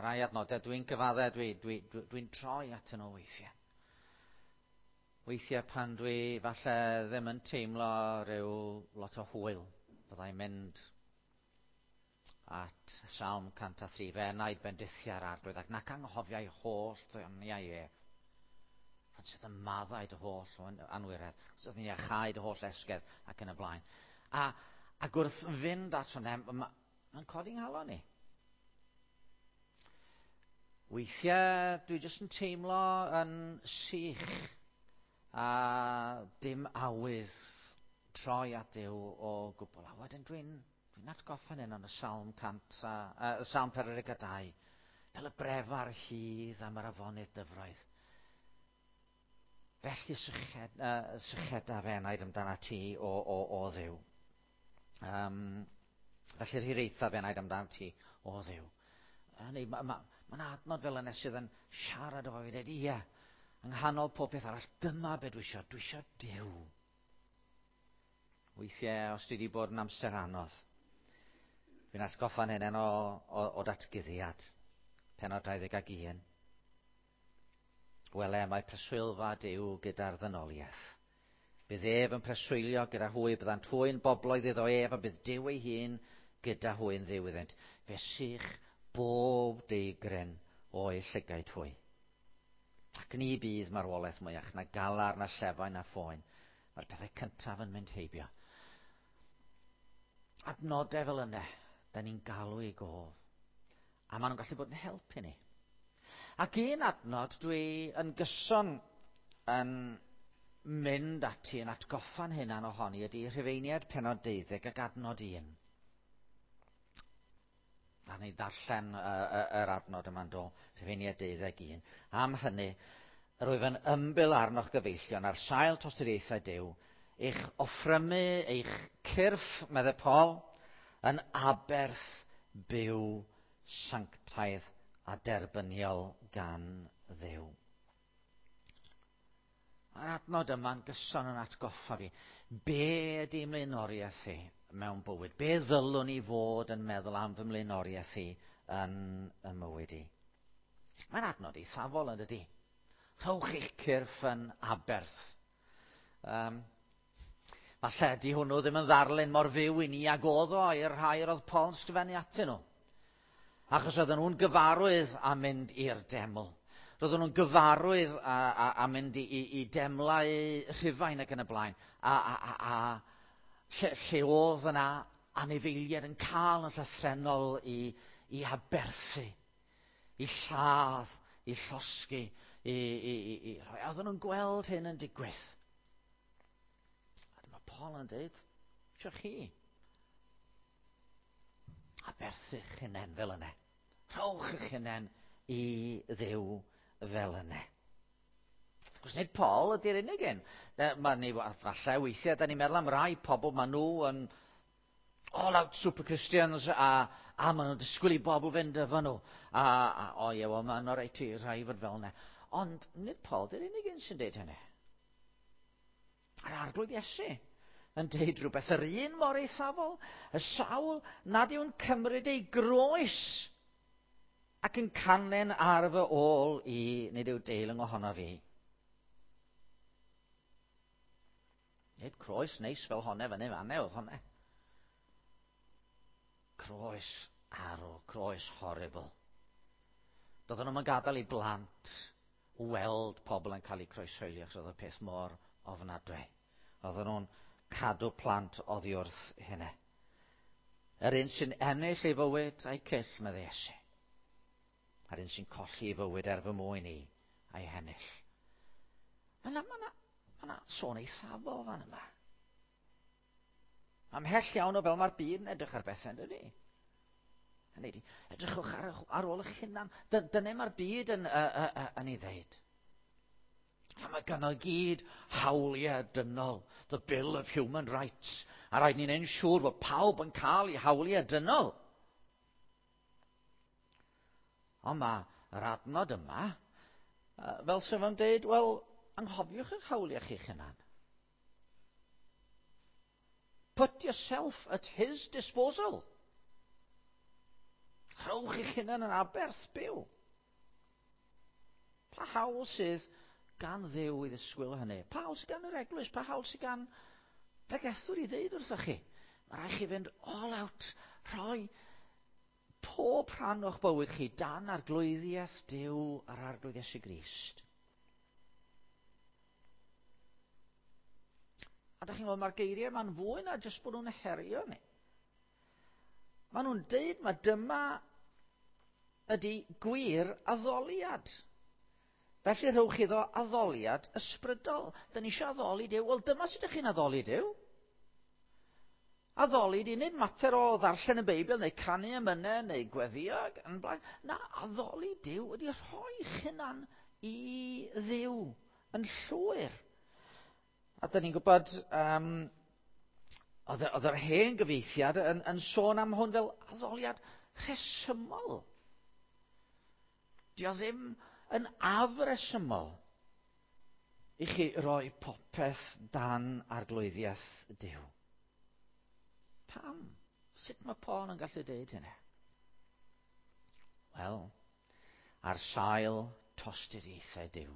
Mae rai adnodau dwi'n cyfadde, dwi'n dwi, dwi, dwi troi at nhw weithiau. Weithiau pan dwi falle ddim yn teimlo rhyw lot o hwyl, byddai'n mynd at Salm 103, fe enaid bendithiau'r arglwydd ac nac anghofiau holl ddoniau ef. Pan sydd yn maddau dy holl anwiredd, sydd yn iachau dy holl esgedd ac yn y blaen. A, ac wrth fynd at hwnna, mae'n ma codi nghalon i. Weithiau dwi jyst yn teimlo yn sych a dim awydd troi at Dduw o gwbl. A wedyn dwi'n Dwi'n atgoffa'n hyn yn y Salm 100 a, uh, Salm 42, fel y brefar hydd am yr afonydd dyfroedd. Felly syched, uh, sycheda fe enaid amdana ti o, o, o ddew. Um, felly'r hiraetha fe enaid amdana ti o ddew. Hynny, mae ma, ma adnod fel yna sydd yn siarad efo fi, dweud, ie, yng nghanol pob peth arall, dyma be dwi eisiau, dwi eisiau Duw. Weithiau, os dwi wedi bod yn amser anodd, dwi'n atgoffa'n hynny o, o, o datguddiad, penod 21. Wele, mae preswylfa Duw gyda'r ddynoliaeth. Bydd ef yn preswylio gyda hwy, byddant hwy'n bobloedd iddo ef, a bydd Duw ei hun gyda hwy'n ddiw iddynt. Fe sych bob deigryn o'i llygaid hwy. Ac ni bydd marwolaeth mwyach, na galar, na llefain, na phoen. Mae'r pethau cyntaf yn mynd heibio. Adnodau fel yna, da ni'n galw i gof. A maen nhw'n gallu bod yn helpu ni. Ac un adnod dwi yn gyson yn mynd ati yn atgoffa'n hunan ohoni ydy Rhufeiniaid penod 12 ac adnod 1. A ni ddarllen yr adnod yma'n do, Rhufeiniaid 21. Am hynny, yr wyf yn ymbil arnoch gyfeillion ar sail tosturiaethau Duw, eich offrymu, eich cyrff, meddai Paul, yn aberth byw sanctaidd a derbyniol gan Dduw. Mae'r adnod yma'n gyson yn atgoffa fi. Be ydy mlaenoriaeth i mewn bywyd? Be ddylwn i fod yn meddwl am fy mlaenoriaeth i yn y mywyd i? Mae'n adnod eithafol yn dydy. Rhowch eich cyrff yn aberth. Um, falle di hwnnw ddim yn ddarlun mor fyw i ni ag oedd o i'r rhai yr oedd Paul yn sgrifennu atyn nhw. Achos oedden nhw'n gyfarwydd â mynd i'r deml. Roedden nhw'n gyfarwydd â, â, â mynd i, i, i demlau Rhufain ac yn y blaen. A, a, a, a lle, lle oedd yna anifeiliaid yn cael yn llythrennol i, i aberthu, i lladd, i llosgi, i, i, i, i rhoi. A oedden nhw'n gweld hyn yn digwydd. A dyma Paul yn dweud, eisiau chi Aberthu'ch hunain fel yna. Rhowch eich hunain i Dduw fel yna. Wrth gwrs, nid Paul ydy'r unig un. Mae ni, falle weithiau, da ni'n meddwl am rai pobl, maen nhw yn all out super Christians a, a maen nhw'n disgwyl i bobl fynd efo nhw. A, a o ie, wel, mae'n rhaid i rhai fod fel yna. Ond nid Paul dy'r unig un sy'n deud hynny. A'r Arglwydd Iesu yn deud rhywbeth yr un mor eithafol, y sawl nad yw'n cymryd ei groes ac yn canlyn ar fy ôl i, nid yw deilwng ohono fi. Nid croes neis fel honne fyny fanne oedd honne. Croes arw, croes horrible. Doedden nhw'n gadael i blant weld pobl yn cael eu croeshoelio achos oedd y peth mor ofnadwy. Oedden nhw'n cadw plant oddi wrth hynny. Yr un sy'n ennill ei fywyd a'i cyll, meddai Iesu. A'r un sy'n colli ei fywyd er fy mwyn i a'i hennill. Mae yna, mae yna, mae yna sôn eithafol fan yma. Amhell iawn o fel mae'r byd yn edrych ar bethau, yn dydy? Hynny ydy, edrychwch ar, ar ôl eich hunan. Dyna mae'r byd yn, uh, uh, uh, yn ei ddeud. A mae gynno gyd hawliau dynol, the Bill of Human Rights. A rhaid ni'n ein siŵr bod pawb yn cael ei hawliau dynol. Ond mae yr adnod yma, fel sef yn dweud, wel, anghofiwch eich hawliau chi'ch hunan. Put yourself at his disposal. Rhowch Rhowch eich hunan yn aberth byw. Pa hawl sydd gan Dduw i ddisgwyl hynny? Pa hawl sydd gan yr eglwys? Pa hawl sydd gan bregethwr i ddeud wrthoch chi? Mae rhaid chi fynd all out, rhoi pob rhan o'ch bywyd chi dan arglwyddiaeth Duw a'r Arglwydd Iesu Grist. A da chi'n gweld, mae'r geiriau yma'n fwy na jyst bod nhw'n herio ni. Maen nhw'n deud mae dyma ydy gwir addoliad. Felly rhowch iddo addoliad ysbrydol. Da ni eisiau addoli Duw. Wel, dyma sut ydych chi'n addoli Duw. Addoli di nid mater o ddarllen y Beibl neu canu emynau neu gweddio ac yn blaen. Na, addoli Duw ydy rhoi'ch hunan i Dduw yn llwyr. A da ni'n gwybod, oedd yr hen gyfieithiad yn sôn am hwn fel addoliad rhesymol. Dio ddim yn afresymol i chi roi popeth dan arglwyddiaeth Duw. Pam? Sut mae Paul yn gallu deud hynny? Wel, ar sail tosturiaethau Duw.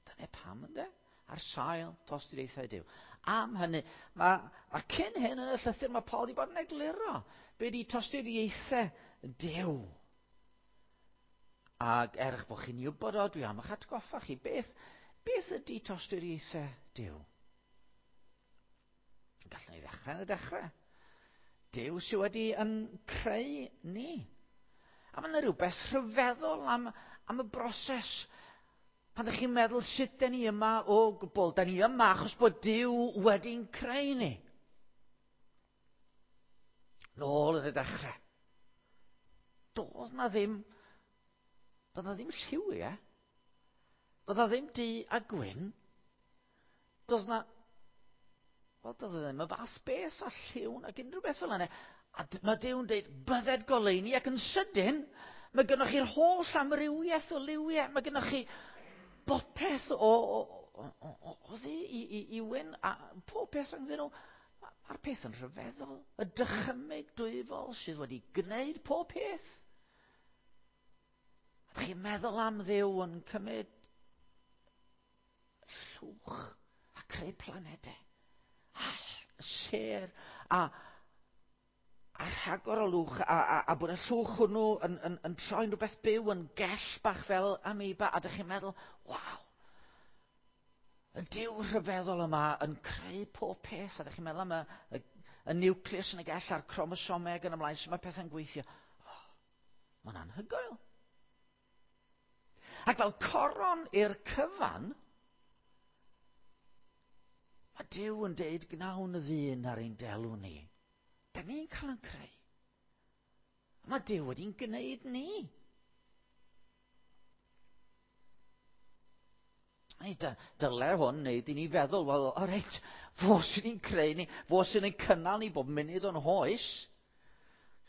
Dyna pam, ynddo? Ar sail tosturiaethau Duw. Am hynny, mae cyn hyn yn y llythyr mae Paul wedi bod yn egluro be di tosturiaethau Duw. Ac er eich bod chi'n wybod o, dwi am eich atgoffa chi, beth ydy tosturiaethau Duw? Gallwn ni ddechrau yn y dechrau. Duw sydd wedi yn creu ni. A mae yna rhywbeth rhyfeddol am y broses. Pan ydych chi'n meddwl sut da ni yma o gwbl, da ni yma achos bod Duw wedi'n creu ni. Nôl yn y dechrau. Doedd na ddim lliwiau. Doedd na ddim du a gwyn. Doedd na... Wel, doedd ddim y fath beth a lliw ac unrhyw beth fel yna. A mae Duw'n dweud, bydded goleuni, ac yn sydyn, mae gennych chi'r holl amrywiaeth o liwiau. Mae gennych chi bopeth o ddu i wyn, a pob peth rhyngddyn nhw. Mae'r peth yn rhyfeddol. Y dychymyg dwyfol sydd wedi gwneud pob peth. A chi'n meddwl am Dduw yn cymryd llwch a creu planedau. A sêr a rhagor o lwch a bod y llwch hwnnw yn troi'n rhywbeth byw yn gell bach fel amoeba, a dych chi'n meddwl, waw, y Duw rhyfeddol yma yn creu pob peth, a dych chi'n meddwl am y nucleus yn y gell a'r cromosomau ac yn ymlaen, sut mae pethau'n gweithio. Oh, mae'n anhygoel. Ac fel coron i'r cyfan, mae Duw yn deud gnawn y ddyn ar ein delw ni. Da ni'n cael yn creu. A mae Duw wedi'n gwneud ni. Dyle hwn wneud i ni feddwl, wel, o reit, fo sydd ni'n creu ni, fo sydd ni'n cynnal ni bob munud o'n hoes.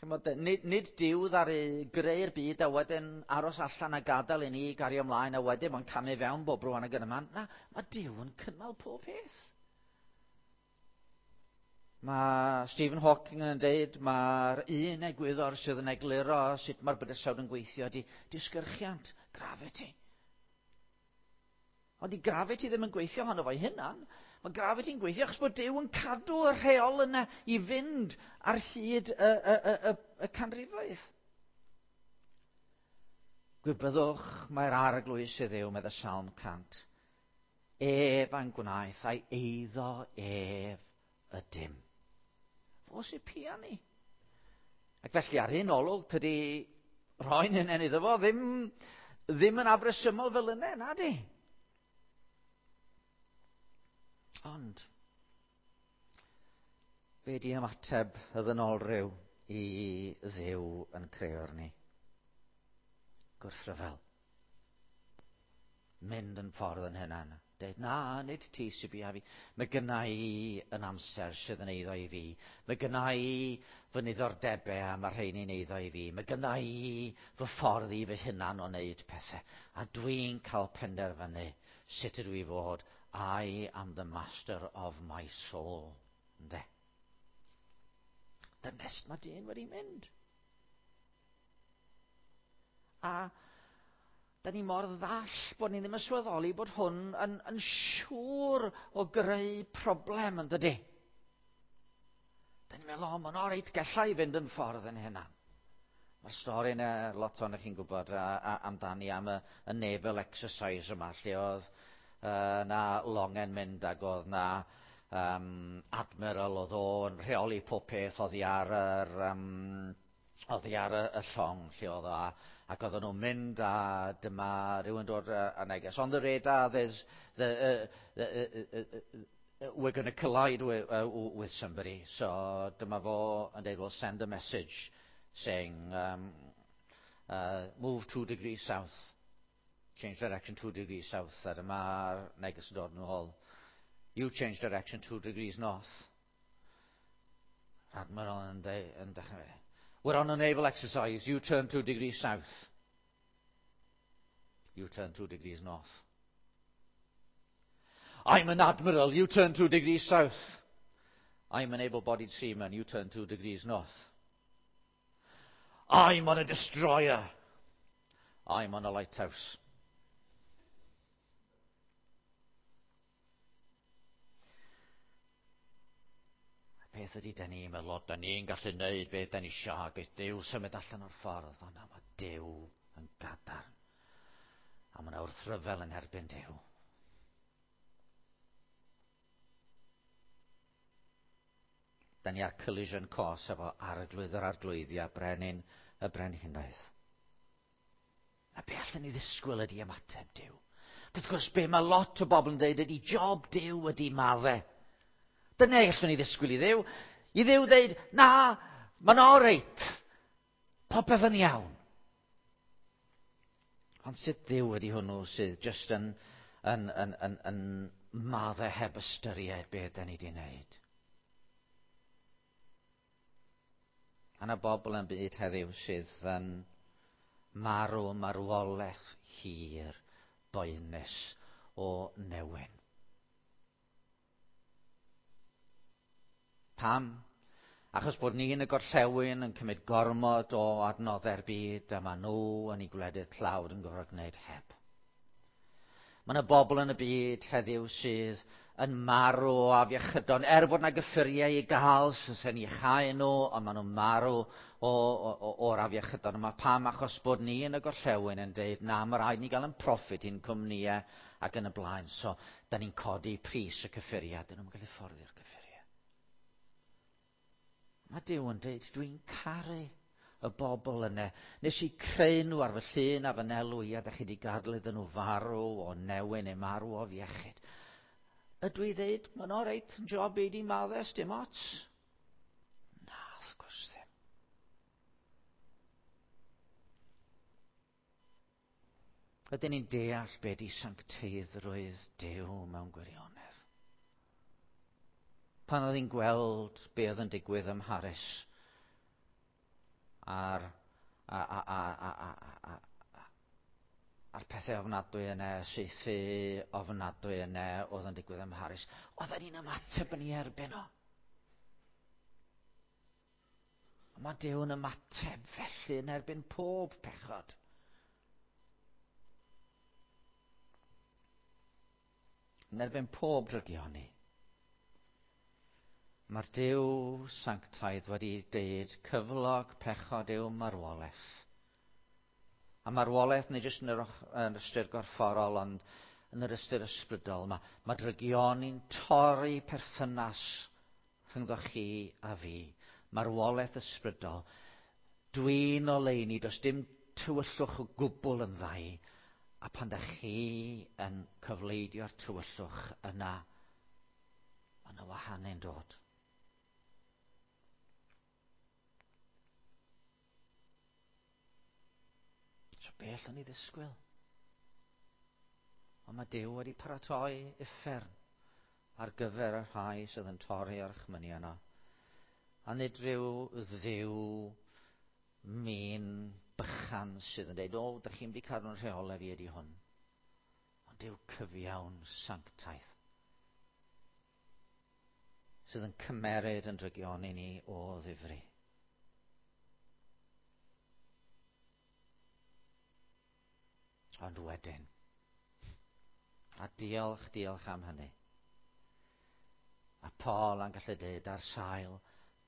Chimod, nid Duw ddaru greu'r byd a wedyn aros allan a gadael i ni gario ymlaen a wedyn mae'n camu fewn bob rwan ag yn y man. Na, mae Duw yn cynnal pob peth. Mae Stephen Hawking yn deud mae'r un egwyddor sydd yn egluro sut mae'r bydysawd yn gweithio ydy disgyrchiant, gravity. Ond di gravity ddim yn gweithio ohono fo'i hunan. Mae gravity'n gweithio achos bod Duw yn cadw y rheol yna i fynd ar hyd y canrifoedd. Gwybyddwch mae'r Arglwydd sydd yw, medd y Salm 100. Ef a'n gwnaeth a'i eiddo ef ydym. Fo sy'n pia ni. Ac felly ar un olwg, tydi rhoi'n hunain iddo fo ddim yn afresymol fel yna, na di. Ond, be di ymateb y ddynolryw i Dduw yn creo'r ni? Gwrthryfel. Mynd yn ffordd yn hynna. Deud, na, nid ti sy'n bia fi. Mae gynna i yn amser sydd yn eiddo i fi. Mae gynna i fy niddordebau a mae rheini'n eiddo i fi. Mae gynna i fy ffordd i fy hunan o wneud pethau. A dwi'n cael penderfynu sut ydw i fod. I am the master of my soul. Ynde? Dyna mae dyn wedi mynd. A da ni mor ddall bod ni ddim yn sylweddoli bod hwn yn siŵr o greu problem, yn dydy? Da ni'n meddwl, o, mae'n o reit, gella i fynd yn ffordd yn hynna. Mae'r stori yna, lot ohonoch chi'n gwybod amdani, am y naval exercise yma, lle oedd na longen mynd ac oedd na admiral oedd o'n rheoli pob peth oddi ar yr, oddi ar y llong lle oedd o, ac oedden nhw'n mynd a dyma rhywun dod a neges. "On the radar, there's the, we're going to collide with somebody." So dyma fo yn dweud, "Well, send a message saying move 2 degrees south. Change direction 2 degrees south." A dyma'r neges yn dod yn ôl. "You change direction 2 degrees north." Admiral yn dechrau. "We're on a naval exercise. You turn 2 degrees south." "You turn 2 degrees north." "I'm an admiral. You turn 2 degrees south." "I'm an able-bodied seaman. You turn 2 degrees north." "I'm on a destroyer." "I'm on a lighthouse." Peth ydy, da ni'n meddwl, da ni'n gallu neud beth da ni isio, ac Duw symud allan o'r ffordd. Ond na, mae Duw yn gadarn. A mae yna wrthryfel yn erbyn Duw. Da ni ar collision course efo Arglwydd yr Arglwyddi a Brenin y Brenhinoedd. A be allan ni ddisgwyl ydy ymateb Duw? Wrth gwrs, be mae lot o bobl yn dweud ydy job Duw ydy maddau. Dyna allwn ni ddisgwyl i Dduw. I Dduw dweud, "Na, mae'n oreit. Popeth yn iawn." Ond sut Dduw ydy hwnnw sydd jyst yn maddau heb ystyried beth da ni wedi wneud? A yna bobl yn byd heddiw sydd yn marw marwolaeth hir boenus o newyn. Pam? Achos bod ni yn y gorllewin yn cymryd gormod o adnoddau'r byd a maen nhw yn eu gwledydd tlawd yn gorfod gwneud heb. Mae yna bobl yn y byd heddiw sydd yn marw o afiechydon, er bod yna gyffuriau i gael sy'n iachau nhw, ond maen nhw'n marw o'r afiechydon yma. Pam? Achos bod ni yn y gorllewin yn deud, "Na, mae rhaid ni gael yn profit i'n cwmnïau ac yn y blaen." So, da ni'n codi pris y cyffuriau, dyn nhw'n gallu fforddio'r cyffuriau. Mae Duw yn dweud, "Dwi'n caru y bobl yna. Nes i creu nhw ar fy llun a fy nelw i, a da chi wedi gadael iddyn nhw farw o newyn neu marw o afiechyd. Ydw i ddeud, mae'n o reit, yn job i di maddau, dim ots?" Na, wrth gwrs ddim. Ydyn ni'n deall be di sancteiddrwydd Duw mewn gwirionedd? Pan oedd hi'n gweld be oedd yn digwydd ym Mharis a'r, a, a, a, a, a, a, a'r pethau ofnadwy yna, saethu ofnadwy yna oedd yn digwydd ym Mharis, oedden ni'n ymateb yn ei erbyn o. A mae Duw yn ymateb felly yn erbyn pob pechod. Yn erbyn pob drygioni. Mae'r Duw sanctaidd wedi deud cyflog pechod yw marwolaeth. A marwolaeth nid jyst yn yr ystyr gorfforol, ond yn yr ystyr ysbrydol. Mae drygioni'n torri perthynas rhyngddo chi a fi. Marwolaeth ysbrydol. Dwi'n oleuni, does dim tywyllwch o gwbl yndda i. A pan da chi yn cyfleidio'r tywyllwch yna, mae yna wahanu'n dod. So be allwn ni ddisgwyl? Ond mae Duw wedi paratoi uffern ar gyfer y rhai sydd yn torri orchmynion o. A nid rhyw Dduw min bychan sydd yn dweud, "O, da chi'n mynd i cadw'n rheolau fi ydy hwn." Ond Duw cyfiawn sanctaidd sydd yn cymeryd yn drygioni ni o ddifri. Ond wedyn, a diolch, diolch am hynny. A Paul yn gallu dweud ar sail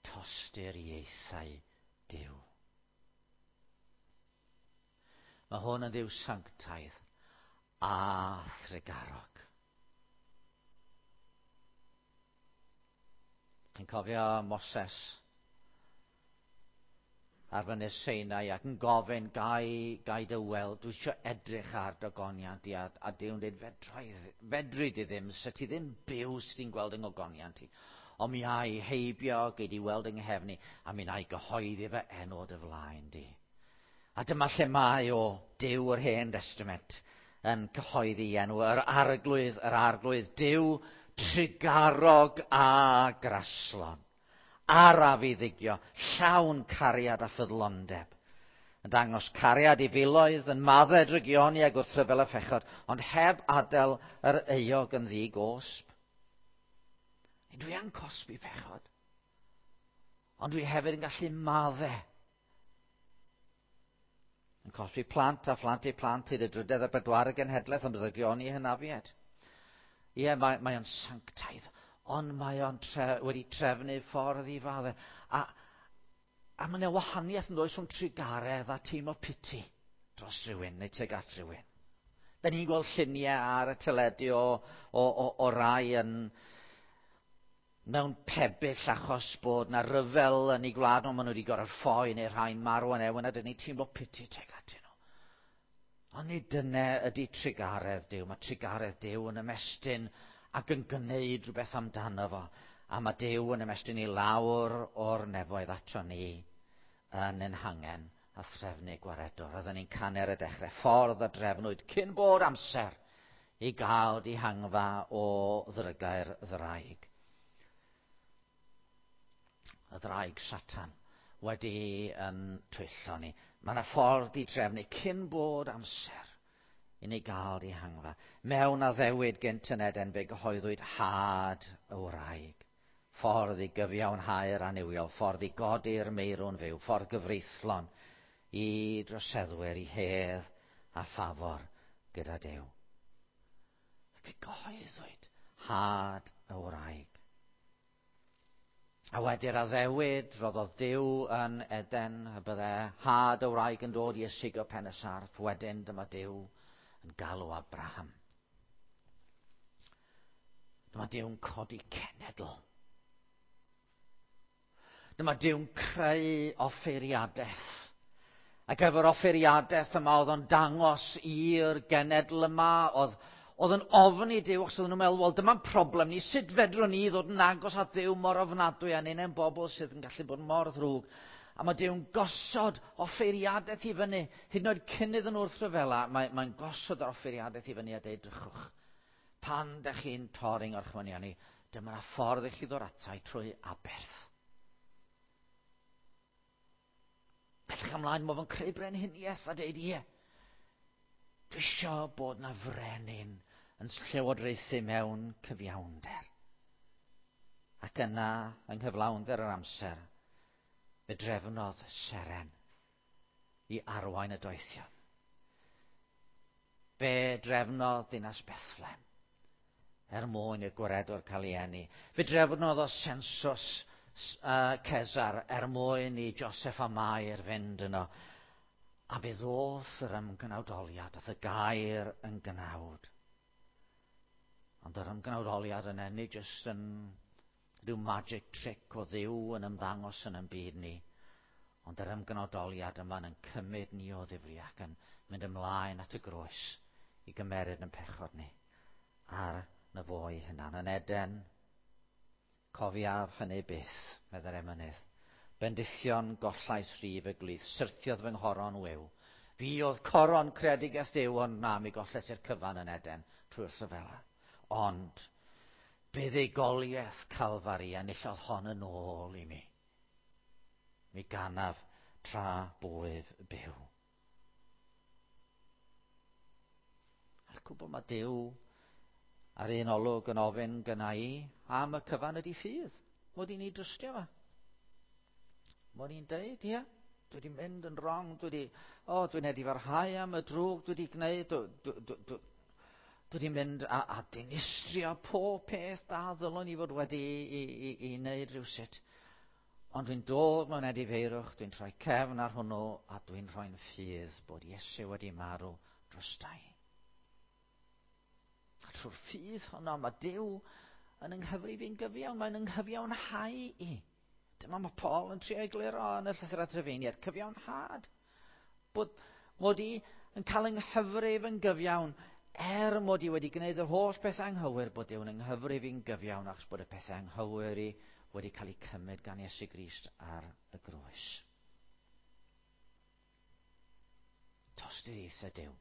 tosturiaethau Duw. Mae hwn yn Dduw sanctaidd a thrugarog. Chi'n cofio Moses ar fynydd Sinai ac yn gofyn, gai, gai dy weld, dwi eisiau edrych ar dy goniant i, a Duw'n dweud, fedrai, fedri di ddim, se ti ddim byw sydd ti'n gweld yng ngogoniant i. Ond mi ai heibio, gei di weld yng nghefn i, a mi na i gyhoeddi fy enw o dy flaen di. A dyma lle mae o, Duw yr Hen Destament, yn cyhoeddi enw yr Arglwydd, yr Arglwydd, Duw trugarog a graslon. Araf i ddigio, llawn cariad a ffyddlondeb. Yn dangos cariad i filoedd, yn maddau drygioni a gwrthryfel y phechod, ond heb adael yr euog yn ddi-gosb. Dwi yn cosbi pechod, ond dwi hefyd yn gallu maddau. Yn cosbi plant a phlant eu plant hyd y drydedd a bedwaredd genhedlaeth am ddrygioni hynafiaid. Ie, mae, mae o'n sanctaidd, ond mae o'n tre, wedi trefnu ffordd i faddau. A mae yna wahaniaeth yn does rhwng trugaredd a teimlo piti dros rhywun neu tuag at rhywun. Da ni'n gweld lluniau ar y teledu o rai yn mewn pebyll achos bod na ryfel yn eu gwlad nhw, maen nhw wedi gorfod ffoi neu rhai'n marw yn ewn, a dyn ni'n teimlo piti tuag atyn nhw. Ond nid dyna ydy trugaredd Duw. Mae trugaredd Duw yn ymestyn ac yn gwneud rhywbeth amdano fo. A mae Duw yn ymestyn i lawr o'r nefoedd ato ni yn ein hangen a threfnu gwaredwr. Oedden ni'n canu ar y dechrau, ffordd a drefnwyd cyn bod amser i gael dihangfa o ddrygau'r ddraig. Y ddraig Satan wedi yn twyllo ni. Mae yna ffordd i drefnu cyn bod amser i ni gael dihangfa. Mewn addewid gynt yn Eden fe gyhoeddwyd had y wraig. Ffordd i gyfiawnhau'r annuwiol, ffordd i godi'r meirw'n fyw, ffordd gyfreithlon i droseddwyr, i hedd a ffafr gyda Duw. Fe gyhoeddwyd had y wraig. A wedi'r addewid, roddodd Duw yn Eden y bydde had y wraig yn dod i ysigo pen y sarff. Wedyn dyma Duw yn galw Abraham. Dyma Duw'n codi cenedl. Dyma Duw'n creu offeiriadaeth. Ac efo'r offeiriadaeth yma oedd o'n dangos i'r genedl yma, oedd yn ofni Duw, achos oedden nhw'n meddwl, wel, dyma'n problem ni, sut fedrwn ni ddod yn agos at Dduw mor ofnadwy a ni'n bobl sydd yn gallu bod mor ddrwg. A mae Duw'n gosod offeiriadaeth i fyny, hyd yn oed cyn iddyn nhw wrthryfela, mae'n gosod yr offeiriadaeth i fyny a deud, drychwch, pan dych chi'n torri'n orchmynion ni, dyma'r ffordd i chi ddod atai trwy aberth. Bellach ymlaen, mae fo'n creu brenhiniaeth a deud, ie, dwi isio bod na frenin yn llywodraethu mewn cyfiawnder. Ac yna, yng nghyflawnder yr amser, fe drefnodd seren i arwain y doethion. Fe drefnodd dinas Bethlehem er mwyn i'r gwaredwr cael ei eni. Fe drefnodd o sensws Cesar er mwyn i Joseph a Mair fynd yno. A fe ddoth yr ymgnawdoliad, ath y gair yn gnawd. Ond yr ymgnawdoliad yna, nid jyst yn rhyw magic trick o Dduw yn ymddangos yn ein byd ni, ond yr ymgnawdoliad yma yn cymryd ni o ddifri ac yn mynd ymlaen at y groes i gymeryd yn pechod ni ar na fo'i hunan. Yn Eden, cofiaf hynny byth, meddai'r emynydd. Bendithion gollais rif y glith, syrthiodd fy nghoron wiw. Fi oedd coron creadigaeth Duw, ond na, mi golles i'r cyfan yn Eden trwy'r rhyfela. Ond buddugoliaeth Calfari enillodd hon yn ôl i mi. Mi ganaf tra bwyf byw. A'r cwbl mae Duw ar un olwg yn ofyn gynna i am y cyfan ydi ffydd. Mod i'n ei drystio fa. Mod i'n deud, ie. Dwi wedi mynd yn wrong, dwi wedi, o, oh, dwi'n edifarhau am y drwg dwi wedi gwneud, dwi wedi mynd a dinistrio pob peth da ddylwn i fod wedi i wneud rhywsut. Ond dwi'n dod mewn edifeirwch, dwi'n troi cefn ar hwnnw, a dwi'n rhoi'n ffydd bod Iesu wedi marw drostai. A trwy'r ffydd honno, mae Duw yn ynghyfrif i'n gyfiawn, mae'n ynghyfiawnhau i. Dyma mae Paul yn trio egluro yn y llythyr at Rufeiniaid, cyfiawnhad. Bod mod i yn cael ynghyfrif yn gyfiawn, er mod i wedi gwneud yr holl bethau anghywir, bod Duw'n ynghyfrif i'n gyfiawn achos bod y pethau anghywir i wedi cael eu cymryd gan Iesu Grist ar y groes. Tosturiaethau Duw.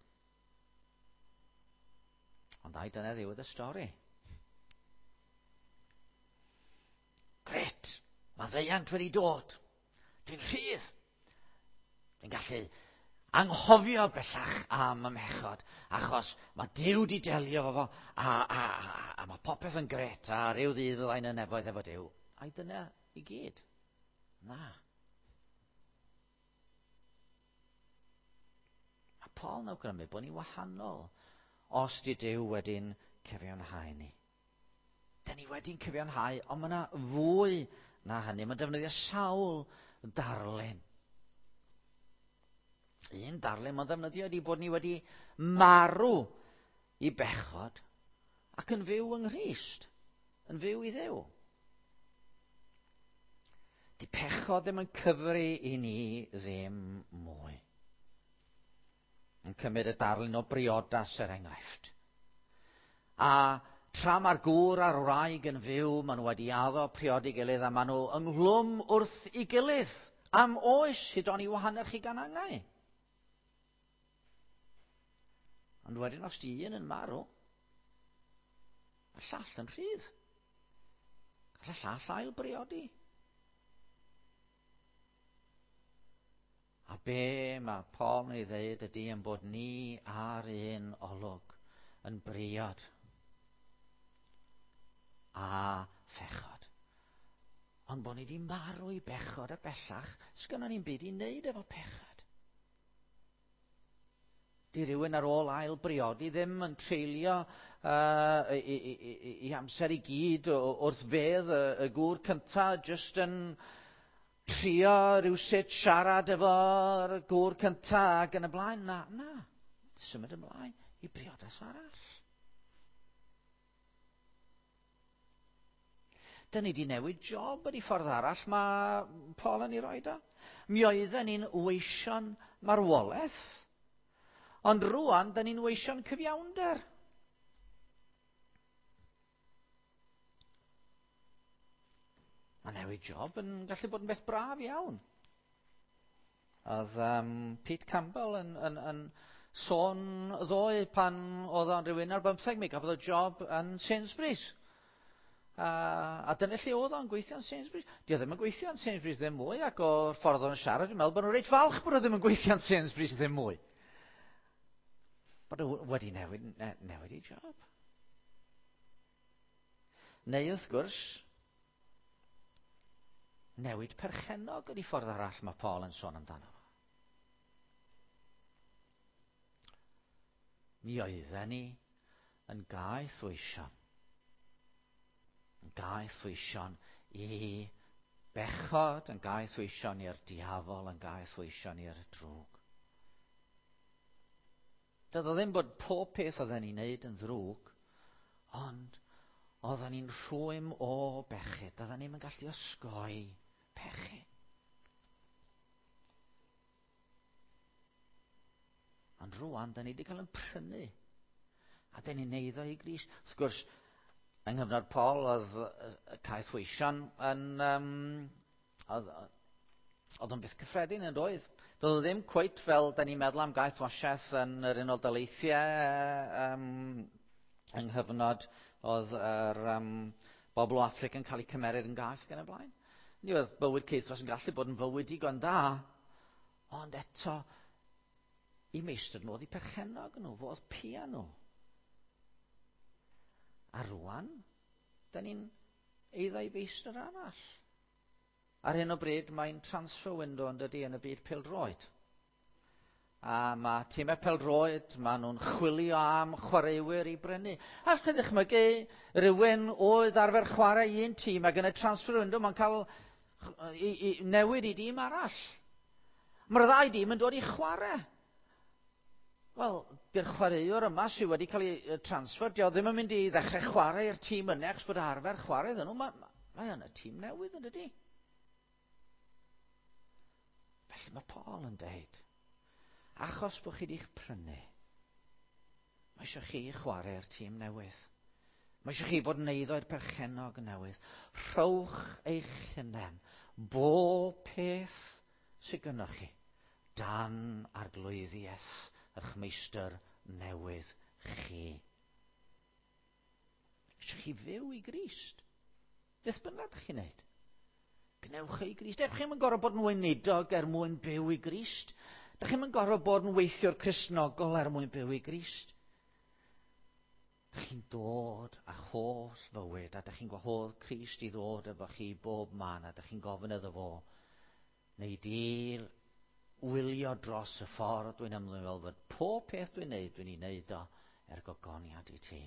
Ond ai dyna ddiwedd y stori? Gret! Mae ddeiant wedi dod. Dwi'n rhydd. Dwi'n gallu anghofio bellach am y mhechod, achos mae Duw di delio efo fo, a mae popeth yn gret, a rhyw ddydd fyddai'n y nefoedd efo Duw. Ai dyna i gyd? Na. Mae Paul yn awgrymu bod ni wahanol os di Duw wedi'n cyfiawnhau ni. Da ni wedi'n cyfiawnhau, ond mae yna fwy na hynny. Mae'n defnyddio sawl darlun. Un darlun mae'n defnyddio ydy bod ni wedi marw i bechod ac yn fyw yng Nghrist, yn fyw i Dduw. Di pechod ddim yn cyfri i ni ddim mwy. Yn cymryd y darlun o briodas er enghraifft. A tra mae'r gŵr a'r wraig yn fyw, maen nhw wedi addo priodi gilydd a maen nhw ynghlwm wrth i gilydd am oes hyd oni wahanner chi gan angau. Ond wedyn os di un yn marw, mae'r llall yn rhydd. Gall y llall ail briodi. A be mae Paul yn ei ddeud ydy yn bod ni ar un olwg yn briod a phechod. Ond bod ni wedi marw i bechod a bellach, sgynnon ni'n byd i wneud efo pechod. Di rhywun ar ôl ail briodi ddim yn treulio i amser i gyd wrth fedd y gŵr cynta, jyst yn trio rhywsut siarad efo'r gŵr cynta ac yn y blaen. Na, na. Symud ymlaen i briodas arall. Dyn ni wedi newid job yn ei ffordd arall mae Paul yn ei roed o. Mi oedden ni'n weision marwolaeth, ond rwan dyn ni'n weision cyfiawnder. Mae newid job yn gallu bod yn beth braf iawn. Oedd Pete Campbell yn sôn ddoe pan oedd o'n rhywun ar 15, mi gafodd o job yn Sainsbury's. A dyna lle oedd o'n gweithio yn Sainsbury's. Di o ddim yn gweithio yn Sainsbury's ddim mwy, ac o'r ffordd o'n siarad, dwi'n meddwl bod nhw'n reit falch bod o ddim yn gweithio yn Sainsbury's ddim mwy. Bod o wedi newid ei job. Neu wrth gwrs, newid perchennog ydy ffordd arall mae Paul yn sôn amdano fo. Mi oedden ni yn gaeth weision. Yn gaeth weision i bechod, yn gaeth weision i'r diafol, yn gaeth weision i'r drwg. Doedd o ddim bod pob peth oedden ni'n neud yn ddrwg, ond oedden ni'n rhwym o bechyd. Doedden ni'm yn gallu osgoi pechu. Ond rwan, da ni wedi cael yn prynu. A da ni'n neud o i Grist. Wrth gwrs, yng nghyfnod Paul, oedd y caethweision yn... Oedd o'n beth cyffredin yn doedd. Doedd o ddim cweit fel da ni'n meddwl am gaethwasiaeth yn yr Unol Daleithiau yng nghyfnod oedd yr bobl o Affrica yn cael eu cymeryd yn gaeth ac yn y blaen. Ni oedd bywyd caethwas yn gallu bod yn fywyd digon da, ond eto, i meistr nhw oedd eu perchennog nhw, fo oedd pia nhw. A rwan, da ni'n eiddo i feistr arall. Ar hyn o bryd mae'n transfer window yn dydy yn y byd pêl-droed. A mae tîmau pêl-droed, maen nhw'n chwilio am chwaraewyr i brynu. A chi ddychmygu rhywun oedd arfer chwarae un tîm ac yn y transfer window mae'n cael i newid i dîm arall. Mae'r ddau dîm yn dod i chwarae. Wel, di'r chwaraewr yma sydd wedi cael ei transfer, dio ddim yn mynd i ddechrau chwarae i'r tîm yna achos bod arfer chwarae iddyn nhw. Mae, mae yn y tîm newydd yn dydy. Felly mae Paul yn deud, achos bod chi wedi'ch prynu, mae eisiau chi chwarae'r tîm newydd. Mae eisiau chi fod yn eiddo i'r perchennog newydd. Rhowch eich hunain, bob peth sydd gynnoch chi, dan arglwyddiaeth eich meistr newydd chi. Eisiau chi fyw i Grist. Beth bynnag ydych chi'n neud. Gwnewch e i Grist. Dych chi'm yn gorfod bod yn weinidog er mwyn byw i Grist. Dych chi'm yn gorfod bod yn weithiwr Cristnogol er mwyn byw i Grist. Dych chi'n dod â'ch holl fywyd a dych chi'n gwahodd Crist i ddod efo chi bob man a dych chi'n gofyn iddo fo, neu di wylio dros y ffordd dwi'n ymddwyn fel fod pob peth dwi'n neud, dwi'n ei neud o er gogoniant i ti.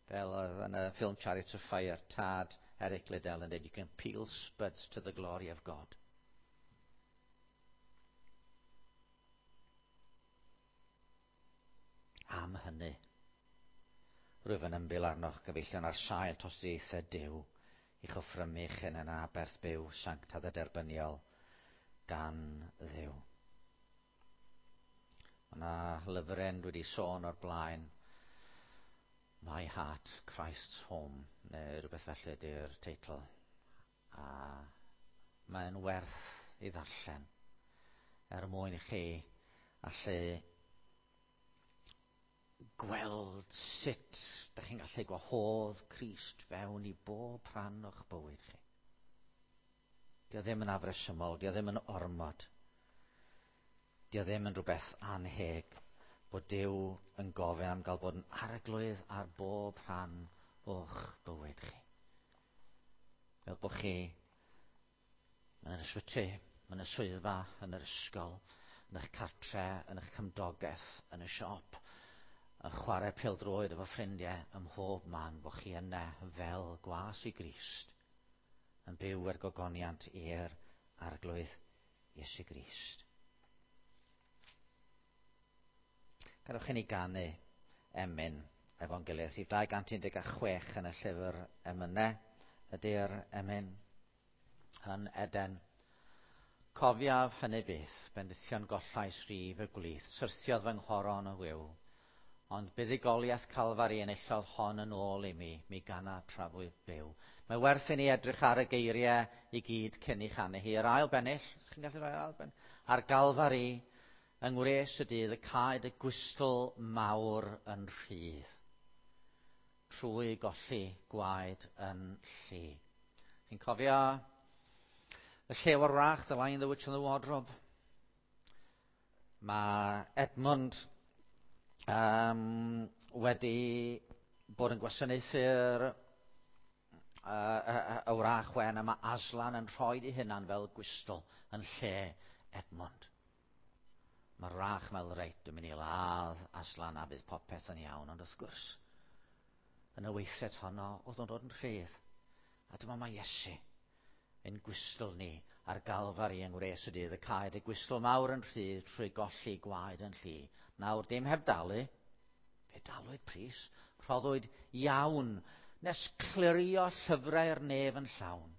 Fel oedd yn y ffilm Chariots of Fire, tad Eric Liddell yn dweud, you can peel spuds to the glory of God. Am hynny, rwyf yn ymbil arnoch gyfeillion ar sail tosturiaethau Duw i'ch offrymu eich hunain yn aberth byw sanctaidd a derbyniol gan Dduw. Mae yna lyfryn dwi wedi sôn o'r blaen, My Heart, Christ's Home, neu rhywbeth felly ydy'r teitl. A mae'n werth i ddarllen er mwyn i chi allu gweld sut da chi'n gallu gwahodd Crist fewn i bob rhan o'ch bywyd chi. Dio ddim yn afresymol, dio ddim yn ormod. Dio ddim yn rhywbeth anheg bod Duw yn gofyn am gael bod yn arglwydd ar bob rhan o'ch bywyd chi. Fel bod chi yn yr ysbyty, yn y swyddfa, yn yr ysgol, yn eich cartre, yn eich cymdogaeth, yn y siop, yn chwarae pêl-droed efo ffrindiau ym mhob man, bod chi yna fel gwas i Grist, yn byw er gogoniant i'r Arglwydd Iesu Grist. Gadewch i ni ganu emyn efo'n gilydd. Rhif 216 yn y llyfr emynau ydy'r emyn yn Eden. Cofiaf hynny byth, bendithion gollais rif y gwlith, syrthiodd fy nghoron o wiw. Ond buddugoliaeth Calfari enillodd hon yn ôl i mi, mi gana tra fwyf byw. Mae werth i ni edrych ar y geiriau i gyd cyn i chanu hi. Yr ail bennill, os chi'n gallu rhoi'r ail bennill, ar Galfari, yng ngwres y dydd, y caed y gwystl mawr yn rhydd, trwy golli gwaed yn llu. Chi'n cofio y Llew a'r Wrach, The Lion, the Witch and the Wardrobe? Mae Edmund wedi bod yn gwasanaethu'r y wrach wen, a mae Aslan yn rhoi ei hunan fel gwystl yn lle Edmund. Mae'r wrach meddwl, reit, dwi'n mynd i ladd Aslan a bydd popeth yn iawn, ond wrth gwrs, yn y weithred honno, oedd o'n dod yn rhydd. A dyma mae Iesu yn gwystl ni ar Galfari yng ngwres y dydd, y caed y gwystl mawr yn rhydd trwy golli gwaed yn llu. Nawr, dim heb dalu, fe dalwyd pris, rhoddwyd iawn, nes clirio llyfrau'r nef yn llawn.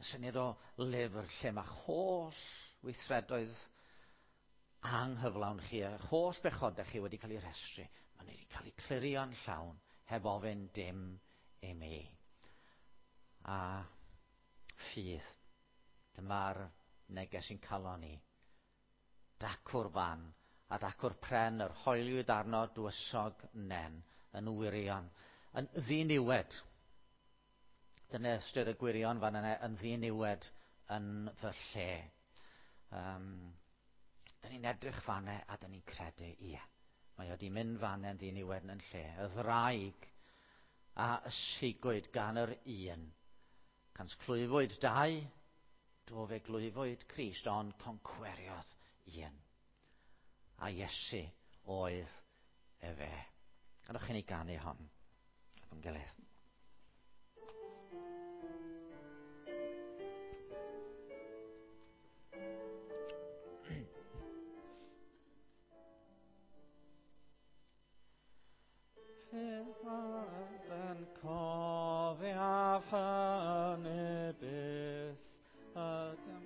Y syniad o lyfr lle mae holl weithredoedd anghyflawn chi, a holl bechodau chi wedi cael eu rhestru, maen nhw wedi cael eu clirio'n llawn, heb ofyn dim i mi. A ffydd, dyma'r neges sy'n calon ni. Dacw'r fan, a dacw'r pren, yr hoeliwyd arno dwysog nen, yn wirion, yn ddiniwed. Dyna ystyr y gwirion fan yna, yn ddiniwed yn fy lle. Dyn ni'n edrych fanne a dyn ni'n credu, ie, mae o wedi mynd fanne yn ddiniwed yn lle. Y ddraig a ysigwyd gan yr un. Cans clwyfwyd dau, do fe glwyfwyd Crist, ond concweriodd un. A Iesu oedd efe. Gadwch chi ni ganu hon efo'n gilydd. Yn cofiaf hynny byth ydym.